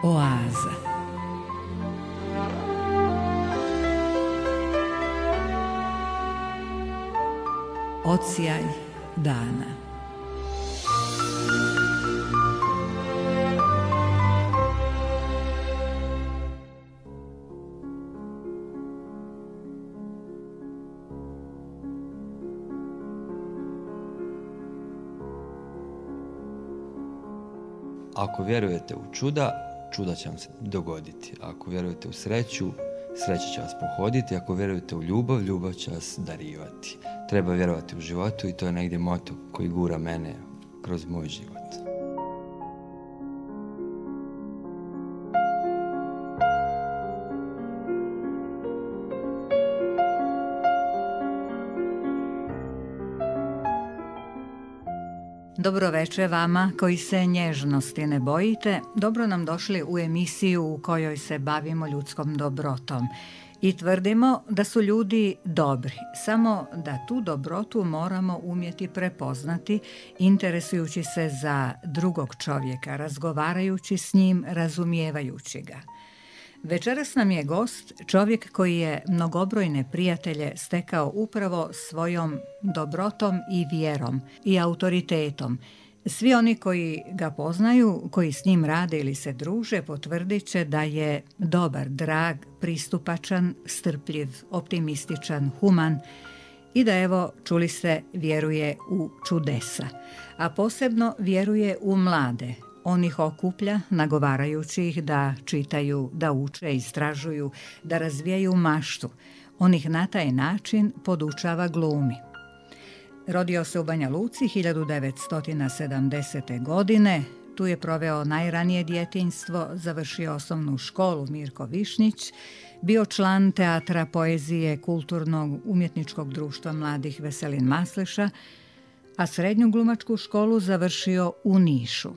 Oaza. Odsjaj dana. Ako vjerujete u čuda, čuda će vam se dogoditi. Ako vjerujete u sreću, sreća će vas pohoditi. Ako vjerujete u ljubav, ljubav će vas darivati. Treba vjerovati u životu i to je negdje moto koji gura mene kroz moj život. Dobro večer vama koji se nježnosti ne bojite. Dobro nam došli u emisiju u kojoj se bavimo ljudskom dobrotom. I tvrdimo da su ljudi dobri, samo da tu dobrotu moramo umjeti prepoznati, interesujući se za drugog čovjeka, razgovarajući s njim, razumijevajući ga. Večeras nam je gost čovjek koji je mnogobrojne prijatelje stekao upravo svojom dobrotom i vjerom i autoritetom. Svi oni koji ga poznaju, koji s njim rade ili se druže, potvrdit će da je dobar, drag, pristupačan, strpljiv, optimističan, human i da, evo, čuli ste, vjeruje u čudesa, a posebno vjeruje u mlade. On ih okuplja, nagovarajući ih da čitaju, da uče, istražuju, da razvijaju maštu. On ih na taj način podučava glumi. Rodio se u Banja Luci 1970. godine. Tu je proveo najranije djetinjstvo, završio osnovnu školu Mirko Višnjić, bio član teatra, poezije, kulturnog umjetničkog društva mladih Veselin Masleša, a srednju glumačku školu završio u Nišu.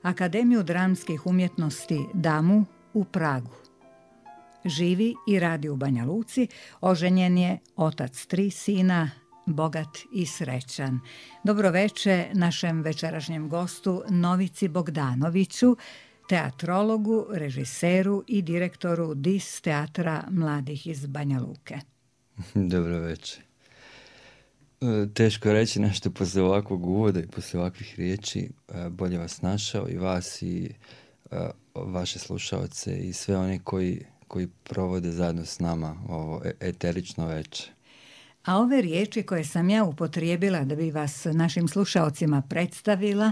Akademiju dramskih umjetnosti DAMU u Pragu. Živi i radi u Banja Luci, oženjen je, otac 3 sina, bogat i srećan. Dobro večer našem večerašnjem gostu Novici Bogdanoviću, teatrologu, režiseru i direktoru DIS teatra mladih iz Banja Luke. Dobro večer. Teško je reći nešto poslije ovakvog uvoda i poslije ovakvih riječi. Bolje vas našao i vas i vaše slušalce i sve oni koji provode zajedno s nama ovo eterično večer. A ove riječi koje sam ja upotrijebila da bi vas našim slušalcima predstavila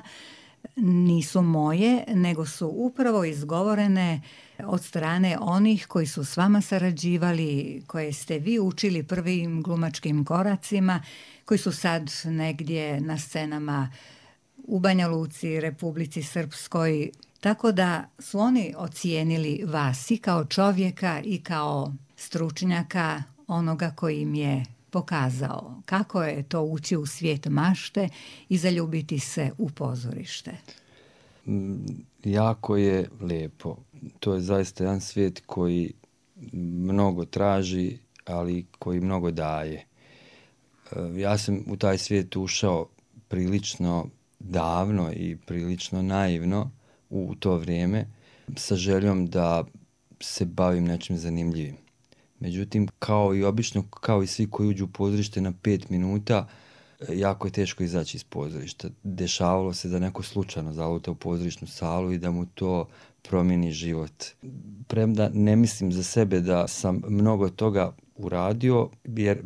nisu moje, nego su upravo izgovorene od strane onih koji su s vama sarađivali, koje ste vi učili prvim glumačkim koracima, koji su sad negdje na scenama u Banja Luci, Republici Srpskoj, tako da su oni ocijenili vas i kao čovjeka i kao stručnjaka, onoga koji im je pokazao kako je to ući u svijet mašte i zaljubiti se u pozorište. Jako je lijepo. To je zaista jedan svijet koji mnogo traži, ali koji mnogo daje. Ja sam u taj svijet ušao prilično davno i prilično naivno u to vrijeme sa željom da se bavim nečim zanimljivim. Međutim, kao i obično, kao i svi koji uđu u pozorište na 5 minuta, jako je teško izaći iz pozorišta. Dešavalo se da neko slučajno zaluta u pozorišnu salu i da mu to promijeni život. Premda ne mislim za sebe da sam mnogo toga uradio, jer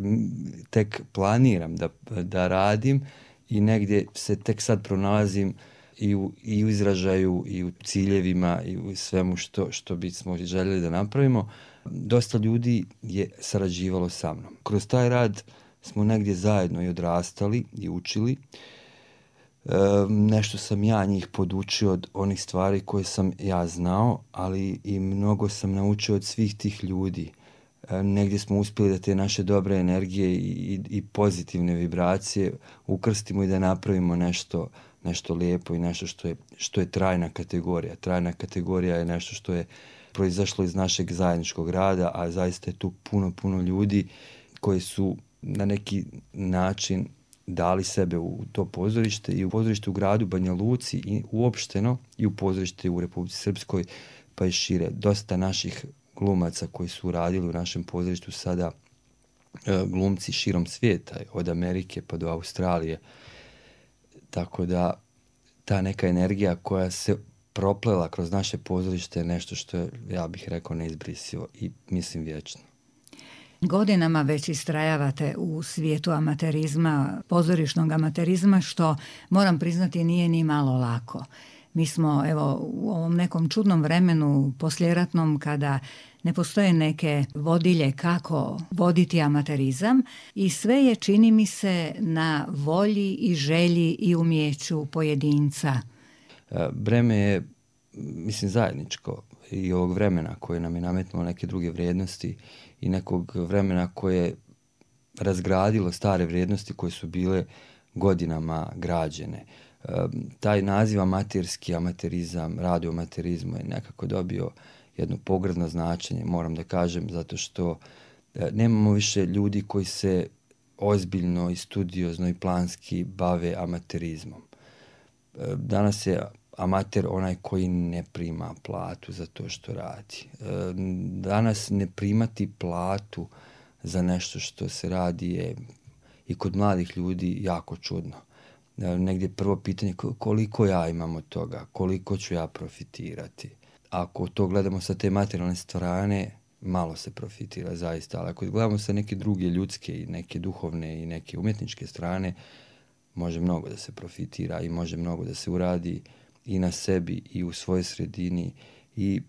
tek planiram da radim i negdje se tek sad pronalazim i u izražaju i u ciljevima i u svemu što bismo željeli da napravimo. Dosta ljudi je sarađivalo sa mnom. Kroz taj rad smo negdje zajedno i odrastali i učili. Nešto sam ja njih podučio od onih stvari koje sam ja znao, ali i mnogo sam naučio od svih tih ljudi. Negdje smo uspjeli da te naše dobre energije i pozitivne vibracije ukrstimo i da napravimo nešto lijepo i nešto što je trajna kategorija. Trajna kategorija je nešto što je proizašlo iz našeg zajedničkog rada, a zaista je tu puno ljudi koji su na neki način dali sebe u to pozorište i u pozorište u gradu Banja Luci i uopšteno i u pozorište u Republici Srpskoj pa i šire. Dosta naših glumaca koji su radili u našem pozorištu sada glumci širom svijeta, od Amerike pa do Australije. Tako da ta neka energija koja se proplela kroz naše pozorište je nešto što je, ja bih rekao, neizbrisivo i mislim vječno. Godinama već istrajavate u svijetu amaterizma, pozorišnog amaterizma, što moram priznati nije ni malo lako. Mi smo evo u ovom nekom čudnom vremenu poslijeratnom kada ne postoje neke vodilje kako voditi amaterizam i sve je, čini mi se, na volji i želji i umjeću pojedinca. Breme je, mislim, zajedničko i ovog vremena koje nam je nametnulo neke druge vrijednosti i nekog vremena koje je razgradilo stare vrijednosti koje su bile godinama građene. Taj naziv amaterski, amaterizam, radio amaterizmu je nekako dobio jedno pogrdno značenje, moram da kažem, zato što nemamo više ljudi koji se ozbiljno i studiozno i planski bave amaterizmom. Danas je amater onaj koji ne prima platu za to što radi. Danas ne primati platu za nešto što se radi je i kod mladih ljudi jako čudno. Negdje prvo pitanje koliko ja imam od toga, koliko ću ja profitirati. Ako to gledamo sa te materijalne strane, malo se profitira zaista, ali ako gledamo sa neke druge ljudske i neke duhovne i neke umjetničke strane, može mnogo da se profitira i može mnogo da se uradi i na sebi i u svojoj sredini i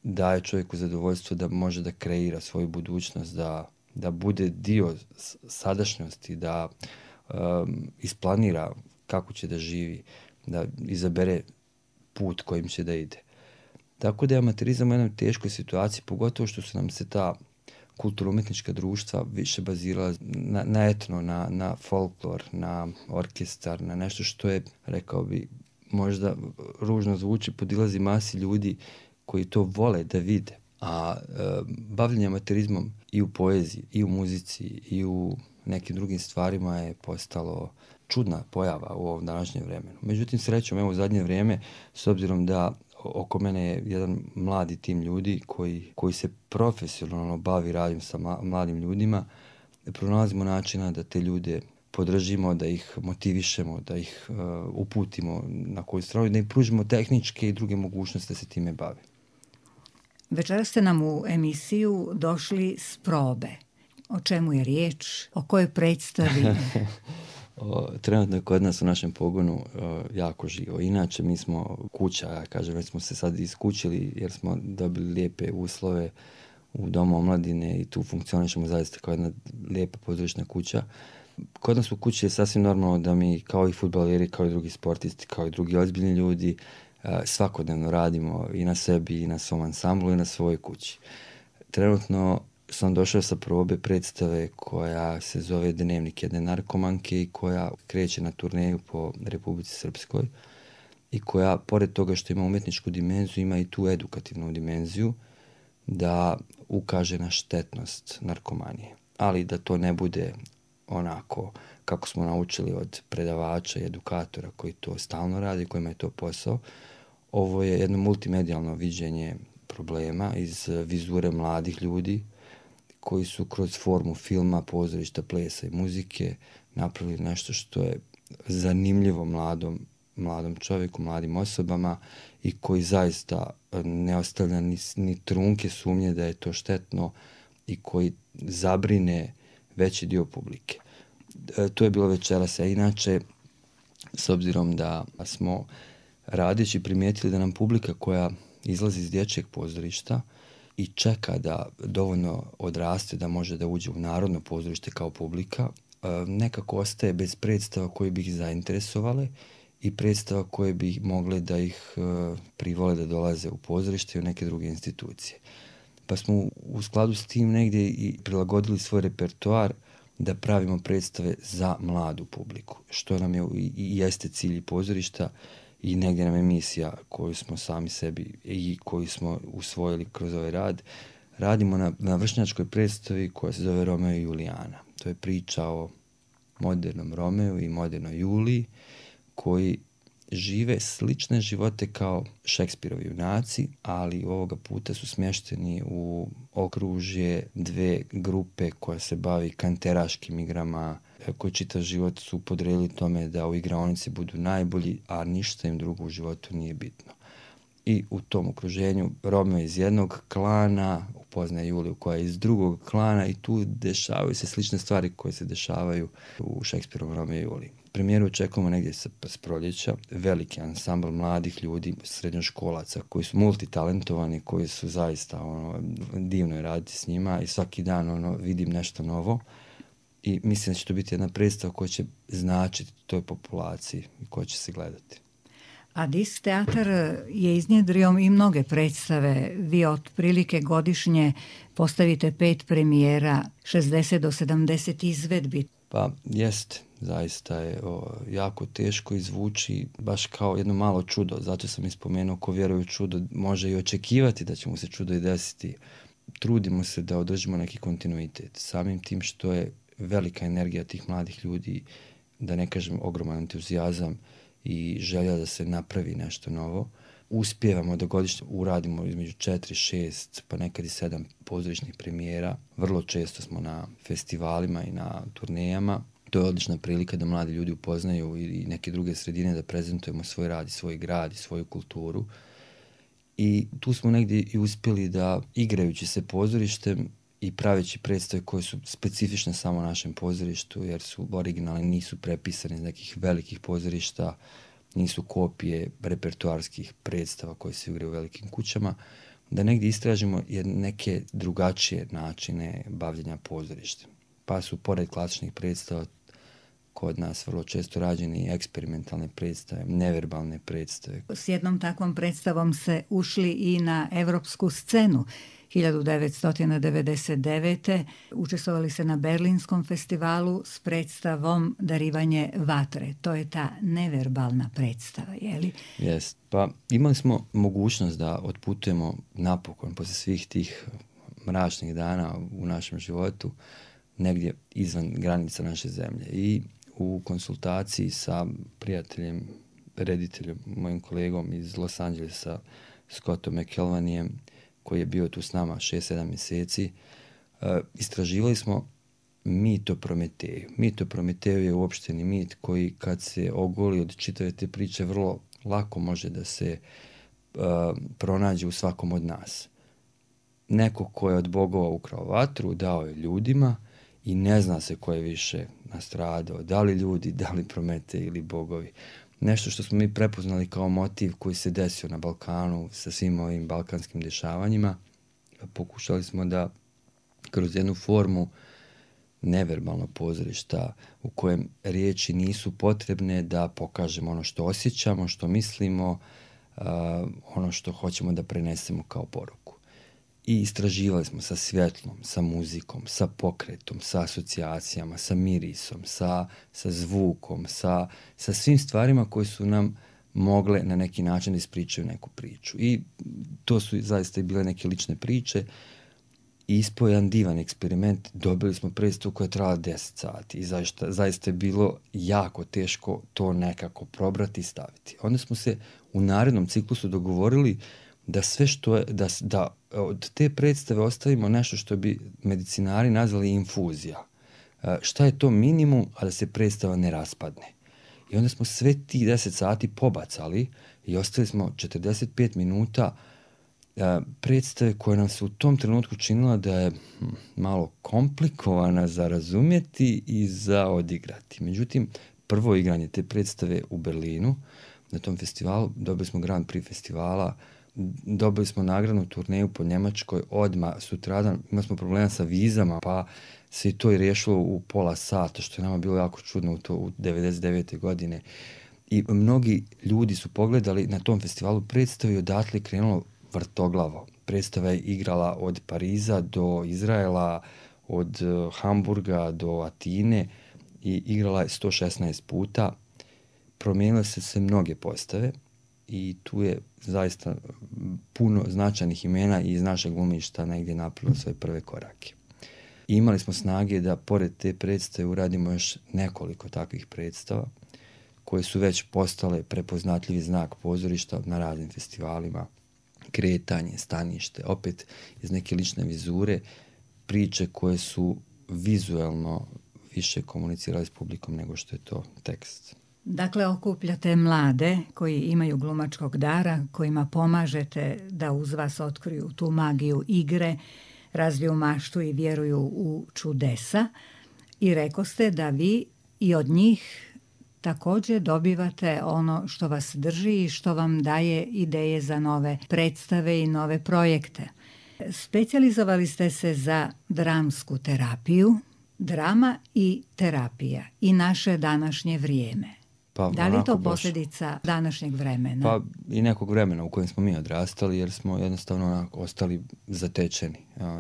daje čovjeku zadovoljstvo da može da kreira svoju budućnost, da bude dio sadašnjosti, da isplanira kako će da živi, da izabere put kojim će da ide. Tako da je amaterizam u jednoj teškoj situaciji, pogotovo što su nam se ta kulturno-umjetnička društva više bazirala na etno, na folklor, na orkestar, na nešto što je, rekao bi, možda ružno zvuči, podilazi masi ljudi koji to vole da vide. A bavljenje amaterizmom i u poeziji, i u muzici, i u nekim drugim stvarima je postalo čudna pojava u ovom današnjem vremenu. Međutim, srećom, evo u zadnje vrijeme, s obzirom da oko mene je jedan mladi tim ljudi koji se profesionalno bavi radom sa mladim ljudima, pronalazimo načina da te ljude podržimo, da ih motivišemo, da ih uputimo na koju stranu, da im pružimo tehničke i druge mogućnosti da se time bave. Večeras ste nam u emisiju došli s probe. O čemu je riječ? O kojoj predstavi? Trenutno je kod nas u našem pogonu jako živo. Inače, mi smo kuća, ja kažem, već smo se sad iskućili jer smo dobili lijepe uslove u Domu omladine i tu funkcionišemo zaista kao jedna lijepa pozorišna kuća. Kod nas u kući je sasvim normalno da mi, kao i fudbaleri, kao i drugi sportisti, kao i drugi ozbiljni ljudi, svakodnevno radimo i na sebi, i na svom ansamblu, i na svojoj kući. Trenutno sam došao sa probe predstave koja se zove Dnevnik jedne narkomanke i koja kreće na turneju po Republici Srpskoj i koja, pored toga što ima umjetničku dimenziju, ima i tu edukativnu dimenziju da ukaže na štetnost narkomanije. Ali da to ne bude onako kako smo naučili od predavača i edukatora koji to stalno radi, kojima je to posao. Ovo je jedno multimedijalno viđenje problema iz vizure mladih ljudi koji su kroz formu filma, pozorišta, plesa i muzike napravili nešto što je zanimljivo mladom čovjeku, mladim osobama i koji zaista ne ostavlja ni trunke sumnje da je to štetno i koji zabrine veći dio publike. To je bilo večeras, a inače, s obzirom da smo radeći primijetili da nam publika koja izlazi iz dječjeg pozorišta i čeka da dovoljno odraste da može da uđe u narodno pozorište kao publika, nekako ostaje bez predstava koje bi ih zainteresovale i predstava koje bi mogle da ih privole da dolaze u pozorište i u neke druge institucije. Pa smo u skladu s tim negdje i prilagodili svoj repertoar da pravimo predstave za mladu publiku, što nam je i jeste cilj pozorišta i negdje nam je misija koju smo sami sebi i koju smo usvojili kroz ovaj rad. Radimo na vršnjačkoj predstavi koja se zove Romeo i Julijana. To je priča o modernom Romeu i modernoj Juliji koji žive slične živote kao Šekspirovi junaci, ali ovoga puta su smješteni u okružje dve grupe koja se bavi kanteraškim igrama, koji čitav život su podredili tome da u igraonici budu najbolji, a ništa im drugo u životu nije bitno. I u tom okruženju Romeo iz jednog klana upoznaje Juliju koja je iz drugog klana i tu dešavaju se slične stvari koje se dešavaju u Šekspirovom Romeo i Juliji. Premijeru očekujemo negdje s proljeća, veliki ansambl mladih ljudi, srednjoškolaca koji su multitalentovani, koji su zaista divno je raditi s njima i svaki dan vidim nešto novo. I mislim da će to biti jedna predstava koja će značiti toj populaciji i koja će se gledati. A Disk teatar je iznjedrio i mnoge predstave. Vi otprilike godišnje postavite 5 premijera, 60 do 70 izvedbi. Pa jest, zaista je jako teško izvući baš kao jedno malo čudo. Zato sam ispomenuo ko vjeruje u čudo može i očekivati da će mu se čudo i desiti. Trudimo se da održimo neki kontinuitet. Samim tim što je velika energija tih mladih ljudi, da ne kažem ogroman entuzijazam i želja da se napravi nešto novo. Uspijevamo da godišnje uradimo između 4, 6 pa nekad i 7 pozorišnih premijera. Vrlo često smo na festivalima i na turnejama. To je odlična prilika da mladi ljudi upoznaju i neke druge sredine, da prezentujemo svoj rad i svoj grad i svoju kulturu. I tu smo negdje i uspjeli da, igrajući se pozorištem i praveći predstave koje su specifične samo našem pozorištu, jer su originalni, nisu prepisani iz nekih velikih pozorišta, nisu kopije repertoarskih predstava koje se igraju u velikim kućama, da negdje istražimo neke drugačije načine bavljenja pozorištem. Pa su, pored klasičnih predstava, kod nas vrlo često rađeni eksperimentalne predstave, neverbalne predstave. S jednom takvom predstavom se ušli i na evropsku scenu. 1999. učestvovali se na Berlinskom festivalu s predstavom Darivanje vatre. To je ta neverbalna predstava, je li? Jest. Pa imali smo mogućnost da otputujemo napokon poslije svih tih mračnih dana u našem životu negdje izvan granica naše zemlje. I u konsultaciji sa prijateljem, rediteljem, mojim kolegom iz Los Angelesa, Scottom McElvanijem, koji je bio tu s nama 6-7 mjeseci, istraživali smo mit o Prometeju. Mit o Prometeju je uopšteni mit koji kad se ogoli od čitave te priče vrlo lako može da se pronađe u svakom od nas. Neko ko je od bogova ukrao vatru, dao je ljudima i ne zna se ko je više nastradao, da li ljudi, da li Prometej ili bogovi. Nešto što smo mi prepoznali kao motiv koji se desio na Balkanu sa svim ovim balkanskim dešavanjima. Pokušali smo da kroz jednu formu neverbalnog pozorišta u kojem riječi nisu potrebne da pokažemo ono što osjećamo, što mislimo, ono što hoćemo da prenesemo kao poruku. I istraživali smo sa svjetlom, sa muzikom, sa pokretom, sa asocijacijama, sa mirisom, sa zvukom, sa svim stvarima koje su nam mogle na neki način da ispričaju neku priču. I to su zaista i bile neke lične priče. I ispao jedan divan eksperiment. Dobili smo predstavu koja je trajala 10 sati i zaista je bilo jako teško to nekako probrati i staviti. Onda smo se u narednom ciklusu dogovorili da sve što je, da od te predstave ostavimo nešto što bi medicinari nazvali infuzija. Šta je to minimum, a da se predstava ne raspadne. I onda smo sve ti 10 sati pobacali i ostavili smo 45 minuta predstave koja nam se u tom trenutku činila da je malo komplikovana za razumjeti i za odigrati. Međutim, prvo igranje te predstave u Berlinu, na tom festivalu, dobili smo Grand Prix festivala, dobili smo nagradnu turneju po Njemačkoj, odmah sutradan imali smo problema sa vizama, pa se i to i riješilo u pola sata, što je nama bilo jako čudno u 99. godine. I mnogi ljudi su pogledali na tom festivalu predstavu i odatle krenulo vrtoglavo. Predstava je igrala od Pariza do Izraela, od Hamburga do Atine i igrala je 116 puta. Promijenile se mnoge postave i tu je zaista puno značajnih imena iz našeg glumišta negdje napravilo svoje prve korake. I imali smo snage da pored te predstave uradimo još nekoliko takvih predstava koje su već postale prepoznatljivi znak pozorišta na raznim festivalima, kretanje, stanište, opet iz neke lične vizure, priče koje su vizuelno više komunicirali s publikom nego što je to tekst. Dakle, okupljate mlade koji imaju glumačkog dara, kojima pomažete da uz vas otkriju tu magiju igre, razviju maštu i vjeruju u čudesa. I rekoste da vi i od njih također dobivate ono što vas drži i što vam daje ideje za nove predstave i nove projekte. Specijalizovali ste se za dramsku terapiju, drama i terapija i naše današnje vrijeme. Pa, da li je to posljedica današnjeg vremena? Pa i nekog vremena u kojem smo mi odrastali, jer smo jednostavno ostali zatečeni.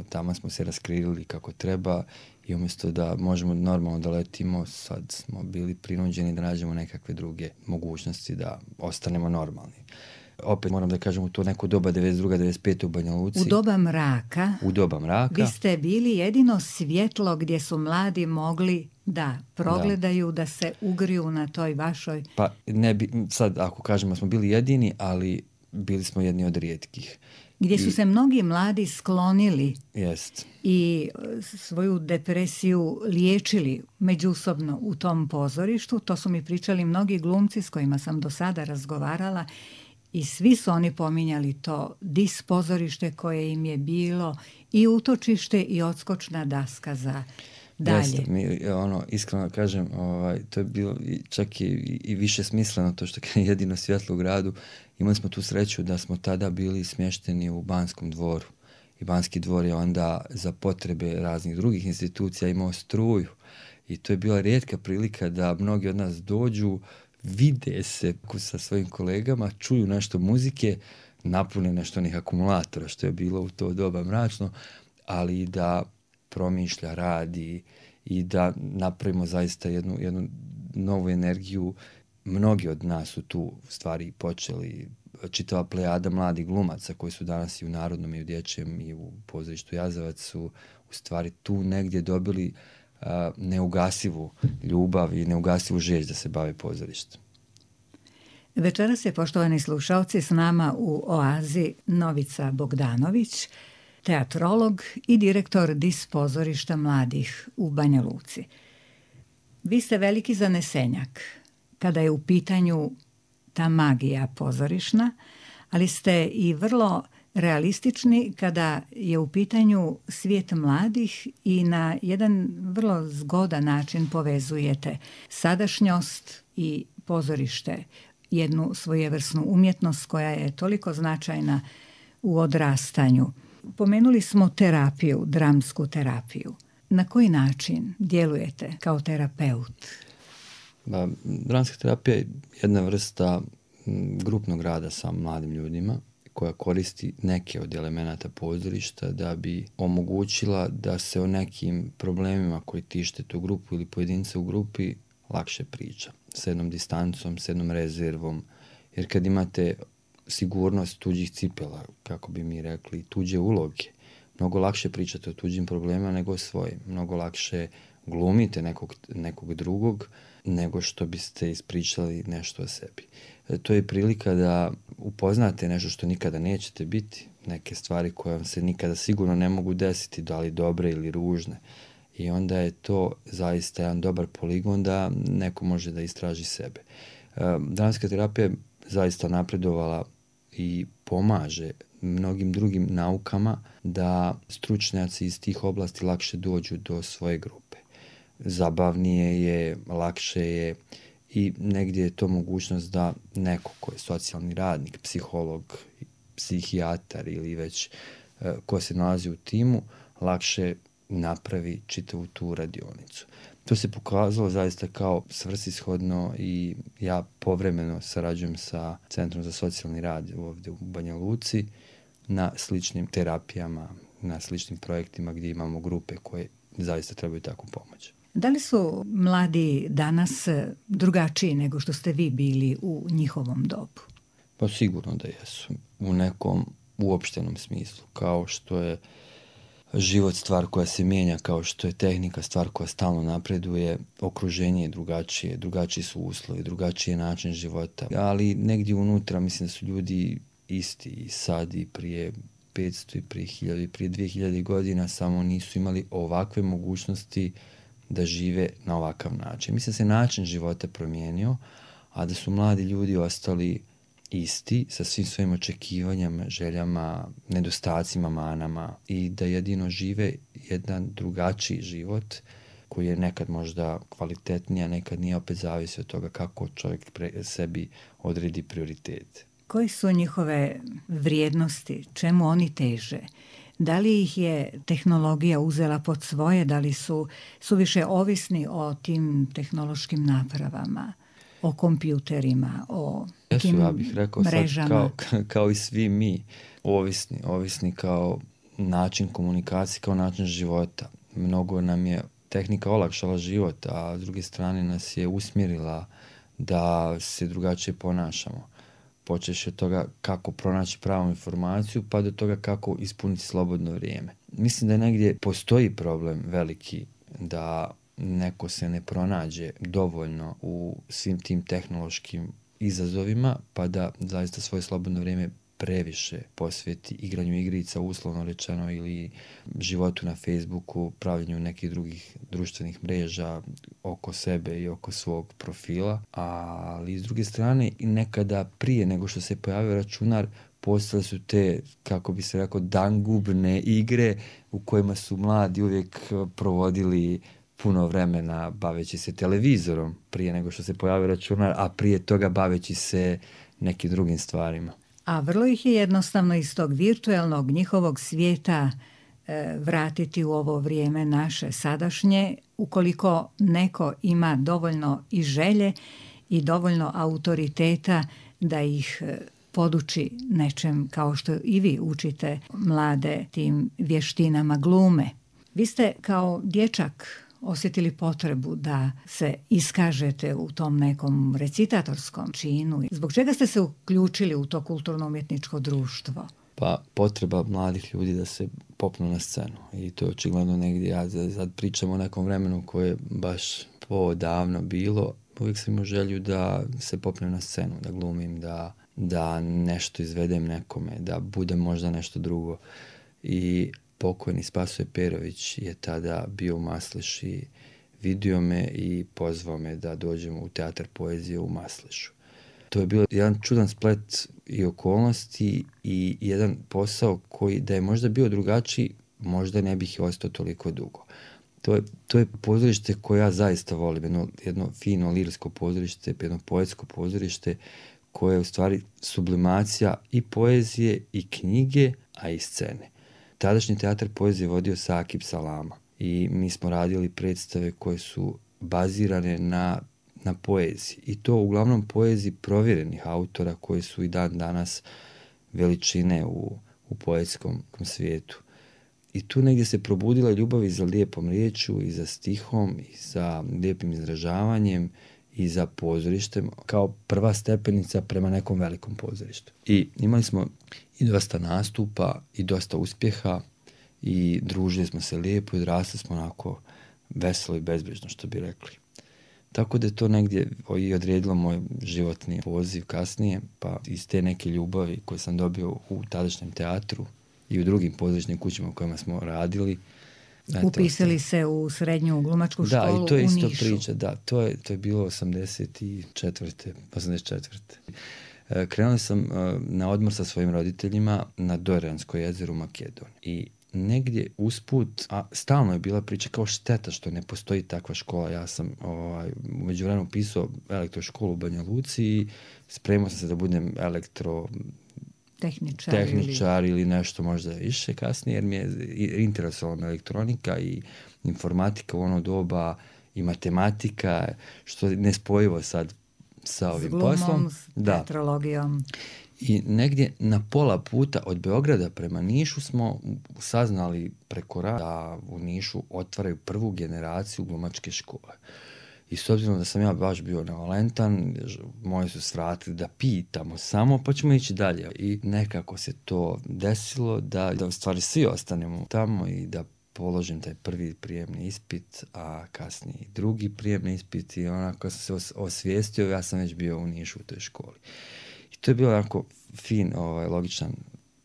Tamo smo se raskrili kako treba i umjesto da možemo normalno da letimo, sad smo bili prinuđeni da nađemo nekakve druge mogućnosti da ostanemo normalni. Opet moram da kažem u to neko doba 92. 95. u Banja Luci. U doba mraka. Vi ste bili jedino svjetlo gdje su mladi mogli da progledaju, da se ugriju na toj vašoj... Pa ne bi, sad ako kažemo smo bili jedini, ali bili smo jedni od rijetkih. Gdje su se mnogi mladi sklonili i svoju depresiju liječili međusobno u tom pozorištu. To su mi pričali mnogi glumci s kojima sam do sada razgovarala i svi su oni pominjali to dis pozorište koje im je bilo i utočište i odskočna daska za dalje. Jeste, iskreno kažem, to je bilo čak i više smisleno, to što je jedino svjetlo u gradu. Imali smo tu sreću da smo tada bili smješteni u Banskom dvoru. I Banski dvor je onda za potrebe raznih drugih institucija imao struju. I to je bila rijetka prilika da mnogi od nas dođu, vide se sa svojim kolegama, čuju nešto muzike, napune nešto onih akumulatora, što je bilo u to doba mračno, ali da promišlja, radi i da napravimo zaista jednu novu energiju. Mnogi od nas su tu stvari počeli, čitava plejada mladih glumaca koji su danas i u Narodnom i u Dječjem i u pozorištu Jazavac su u stvari tu negdje dobili neugasivu ljubav i neugasivu želj da se bave pozorištem. Večeras je, poštovani slušalci, s nama u Oazi Novica Bogdanović, teatrolog i direktor dis pozorišta mladih u Banja Luci. Vi ste veliki zanesenjak kada je u pitanju ta magija pozorišna, ali ste i vrlo realistični kada je u pitanju svijet mladih i na jedan vrlo zgodan način povezujete sadašnjost i pozorište, jednu svojevrsnu umjetnost koja je toliko značajna u odrastanju. Pomenuli smo terapiju, dramsku terapiju. Na koji način djelujete kao terapeut? Dramska terapija je jedna vrsta grupnog rada sa mladim ljudima koja koristi neke od elemenata pozorišta da bi omogućila da se o nekim problemima koji tište tu grupu ili pojedinca u grupi lakše priča. S jednom distancom, s jednom rezervom. Jer kad imate sigurnost tuđih cipela, kako bi mi rekli, tuđe uloge, mnogo lakše pričate o tuđim problemima nego o svojim. Mnogo lakše glumite nekog drugog nego što biste ispričali nešto o sebi. To je prilika da upoznate nešto što nikada nećete biti, neke stvari koje vam se nikada sigurno ne mogu desiti, da li dobre ili ružne. I onda je to zaista jedan dobar poligon da neko može da istraži sebe. Dramska terapija je zaista napredovala i pomaže mnogim drugim naukama da stručnjaci iz tih oblasti lakše dođu do svoje grupe. Zabavnije je, lakše je i negdje je to mogućnost da neko ko je socijalni radnik, psiholog, psihijatar ili već ko se nalazi u timu, lakše napravi čitavu tu radionicu. To se pokazalo zaista kao svrsishodno i ja povremeno sarađujem sa Centrom za socijalni rad ovdje u Banja Luci na sličnim terapijama, na sličnim projektima gdje imamo grupe koje zaista trebaju takvu pomoć. Da li su mladi danas drugačiji nego što ste vi bili u njihovom dobu? Pa sigurno da jesu. U nekom uopštenom smislu. Kao što je život stvar koja se mijenja, kao što je tehnika stvar koja stalno napreduje, okruženje je drugačije, drugačiji su uslovi, drugačiji je način života, ali negdje unutra mislim da su ljudi isti i sad i prije 500 i prije 1000 i prije 2000 godina, samo nisu imali ovakve mogućnosti da žive na ovakav način. Mislim da se način života promijenio, a da su mladi ljudi ostali isti sa svim svojim očekivanjama, željama, nedostacima, manama i da jedino žive jedan drugačiji život koji je nekad možda kvalitetniji, a nekad nije, opet zavisi od toga kako čovjek sebi odredi prioritete. Koji su njihove vrijednosti? Čemu oni teže? Da li ih je tehnologija uzela pod svoje? Da li su više ovisni o tim tehnološkim napravama, o kompjuterima, o tim ja bih rekao mrežama? Sad kao i svi mi, ovisni kao način komunikacije, kao način života. Mnogo nam je tehnika olakšala život, a s druge strane nas je usmjerila da se drugačije ponašamo. Počeš od toga kako pronaći pravu informaciju, pa do toga kako ispuniti slobodno vrijeme. Mislim da negdje postoji problem veliki da neko se ne pronađe dovoljno u svim tim tehnološkim izazovima, pa da zaista svoje slobodno vrijeme previše posveti igranju igrica, uslovno rečeno, ili životu na Facebooku, pravljenju nekih drugih društvenih mreža oko sebe i oko svog profila. Ali s druge strane, nekada prije nego što se pojavio računar, postale su te, kako bi se rekao, dangubne igre u kojima su mladi uvijek provodili puno vremena baveći se televizorom prije nego što se pojavio računar, a prije toga baveći se nekim drugim stvarima. A vrlo ih je jednostavno iz tog virtualnog njihovog svijeta vratiti u ovo vrijeme naše sadašnje, ukoliko neko ima dovoljno i želje i dovoljno autoriteta da ih poduči nečem, kao što i vi učite mlade tim vještinama glume. Vi ste kao dječak osjetili potrebu da se iskažete u tom nekom recitatorskom činu. Zbog čega ste se uključili u to kulturno-umjetničko društvo? Pa potreba mladih ljudi da se popnu na scenu. I to je očigledno negdje, ja sad pričam o nekom vremenu koje je baš davno bilo. Uvijek sam imao želju da se popnem na scenu, da glumim, da nešto izvedem nekome, da budem možda nešto drugo. I pokojni Spasoje Perović je tada bio u Masleši, vidio me i pozvao me da dođemo u Teatar poezije u Maslešu. To je bio jedan čudan splet i okolnosti i jedan posao koji da je možda bio drugačiji, možda ne bih ostao toliko dugo. To je pozorište koje ja zaista volim, jedno fino lirsko pozorište, jedno poetsko pozorište koje je u stvari sublimacija i poezije i knjige, a i scene. Tadašnji Teatar poezije vodio Sakib Salama i mi smo radili predstave koje su bazirane na poeziji. I to uglavnom poeziji provjerenih autora koji su i dan danas veličine u poetskom svijetu. I tu negdje se probudila ljubav i za lijepom riječju, i za stihom, i za lijepim izražavanjem, i za pozorištem, kao prva stepenica prema nekom velikom pozorištu. I imali smo i dosta nastupa, i dosta uspjeha, i družili smo se lijepo, i odrasli smo onako veselo i bezbrižno, što bi rekli. Tako da je to negdje i odredilo moj životni poziv kasnije, pa iz te neke ljubavi koje sam dobio u tadašnjem teatru i u drugim pozorišnim kućama u kojima smo radili. Upisali se u srednju glumačku školu u Nišu. Da, i to je isto priča, da, to je bilo 84. Krenuo sam na odmor sa svojim roditeljima na Dorijansko jezero u Makedoniji. I negdje usput, a stalno je bila priča kao šteta što ne postoji takva škola. Ja sam u međuvremenu upisao elektroškolu u Banja Luci i spremao sam se da budem tehničar ili nešto možda više kasnije, jer mi je interesovala elektronika i informatika u ono doba i matematika, što je nespojivo sad sa ovim poslom. S glumom, s teatrologijom. I negdje na pola puta od Beograda prema Nišu smo saznali preko da u Nišu otvaraju prvu generaciju glumačke škole. I s obzirom da sam ja baš bio nevalentan, moji su svratili da pitamo samo, pa ćemo ići dalje. I nekako se to desilo da u stvari svi ostanemo tamo i da položim taj prvi prijemni ispit, a kasnije i drugi prijemni ispit i onako sam se osvijestio, ja sam već bio u Nišu u toj školi. I to je bilo onako fin, logičan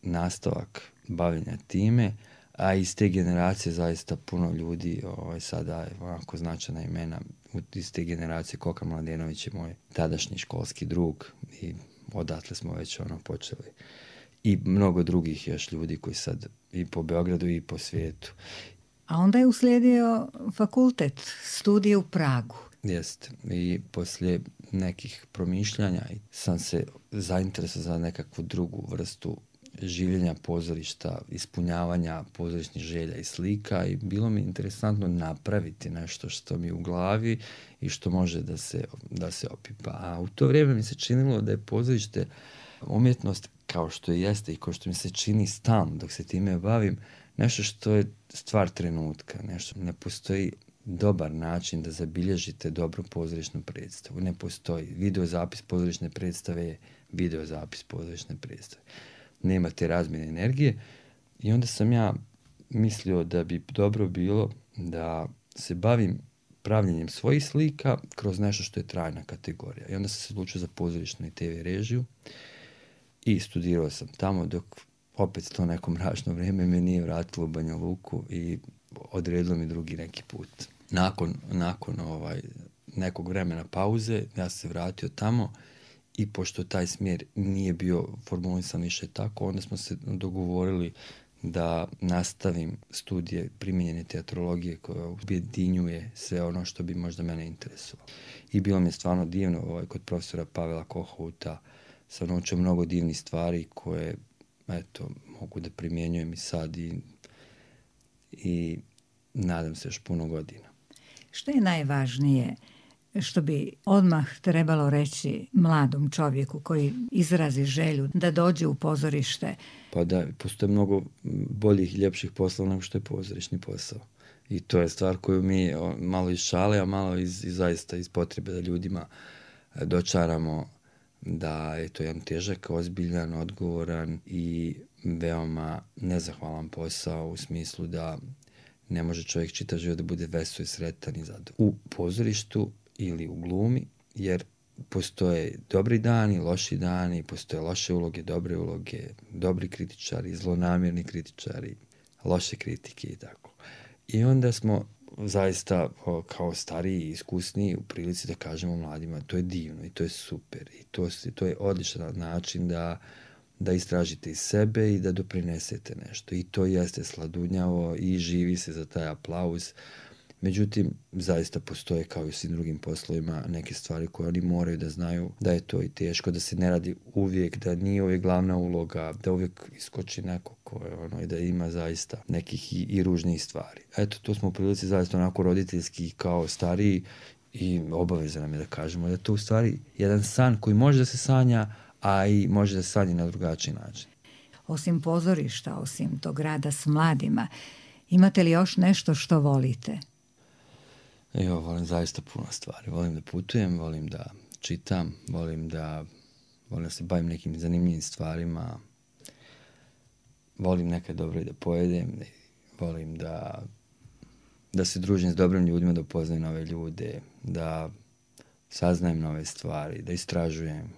nastavak bavljenja time, a iz te generacije zaista puno ljudi sada je onako značajna imena iz te generacije. Koka Mladenović je moj tadašnji školski drug i odatle smo već počeli. I mnogo drugih još ljudi koji sad i po Beogradu i po svijetu. A onda je uslijedio fakultet, studije u Pragu. Jeste. I poslije nekih promišljanja sam se zainteresovao za nekakvu drugu vrstu življenja pozorišta, ispunjavanja pozorišnih želja i slika i bilo mi interesantno napraviti nešto što mi je u glavi i što može da se opipa. A u to vrijeme mi se činilo da je pozorište umjetnost kao što jeste i kao što mi se čini stalno dok se time bavim, nešto što je stvar trenutka, nešto ne postoji dobar način da zabilježite dobru pozorišnu predstavu. Ne postoji. Videozapis pozorišne predstave je videozapis pozorišne predstave. Nema te razmjene energije i onda sam ja mislio da bi dobro bilo da se bavim pravljenjem svojih slika kroz nešto što je trajna kategorija. I onda sam se odlučio za pozorišnu i TV režiju i studirao sam tamo dok opet to neko mračno vrijeme me nije vratilo u Banja Luku i odredilo mi drugi neki put. Nakon nekog vremena pauze ja sam se vratio tamo i pošto taj smjer nije bio formulisan više tako, onda smo se dogovorili da nastavim studije primijenjene teatrologije koja objedinjuje sve ono što bi možda mene interesovalo. I bilo mi je stvarno divno, kod profesora Pavela Kohouta sam naučio mnogo divnih stvari koje, mogu da primjenjujem i sad i nadam se još puno godina. Što je najvažnije što bi odmah trebalo reći mladom čovjeku koji izrazi želju da dođe u pozorište? Pa da, postoje mnogo boljih i ljepših poslova nego što je pozorišni posao. I to je stvar koju mi malo iz šale, a malo zaista iz potrebe da ljudima dočaramo da je to jedan težak, ozbiljan, odgovoran i veoma nezahvalan posao u smislu da ne može čovjek čitav život da bude vesel i sretan i zadovoljan u pozorištu ili u glumi, jer postoje dobri dani, loši dani, postoje loše uloge, dobre uloge, dobri kritičari, zlonamjerni kritičari, loše kritike i tako. I onda smo zaista kao stariji i iskusniji u prilici da kažemo mladima to je divno i to je super i to je odličan način da istražite iz sebe i da doprinesete nešto. I to jeste sladunjavo i živi se za taj aplauz. Međutim, zaista postoje kao i u svim drugim poslovima neke stvari koje oni moraju da znaju da je to i teško, da se ne radi uvijek, da nije uvijek glavna uloga, da uvijek iskoči neko i da ima zaista nekih i ružnijih stvari. Eto, tu smo u prilici zaista onako roditeljski kao stariji i obaveza nam je da kažemo da je to u stvari jedan san koji može da se sanja, a i može da se sanja na drugačiji način. Osim pozorišta, osim tog rada s mladima, imate li još nešto što volite? Volim zaista puno stvari. Volim da putujem, volim da čitam, volim da se bavim nekim zanimljivim stvarima, volim nekad dobro i da pojedem, volim da se družim s dobrim ljudima, da upoznajem nove ljude, da saznajem nove stvari, da istražujem.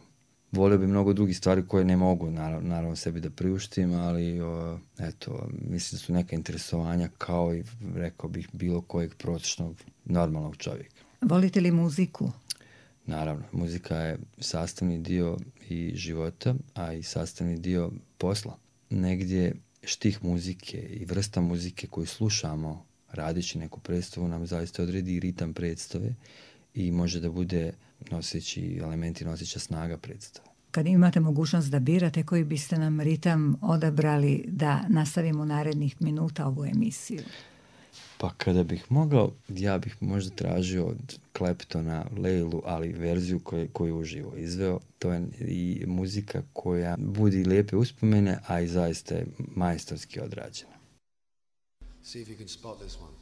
Volio bi mnogo drugih stvari koje ne mogu naravno sebi da priuštim, ali mislim da su neka interesovanja kao i rekao bih bilo kojeg prosječnog normalnog čovjeka. Volite li muziku? Naravno, muzika je sastavni dio i života, a i sastavni dio posla. Negdje štih muzike i vrsta muzike koju slušamo radeći neku predstavu nam zaista odredi i ritam predstave i može da bude noseći elementi, noseća snaga predstave. Kad imate mogućnost da birate, koji biste nam ritam odabrali da nastavimo narednih minuta ovu emisiju? Pa kada bih mogao, ja bih možda tražio od Claptona Leilu, ali verziju koju uživo izveo. To je i muzika koja budi lijepe uspomene, a i zaista je majstorski odrađena. See if you can spot this one.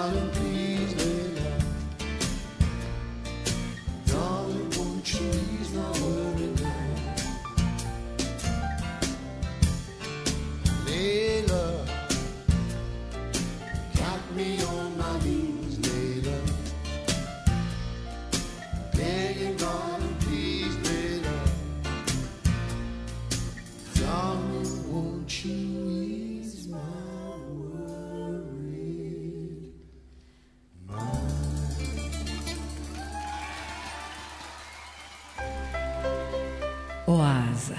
darling, please lay low. Darling, won't you ease my worry now? Layla, got me on my knees, Layla. Begging, darling, please lay low. Darling, won't you ease my worried mind? Oaza.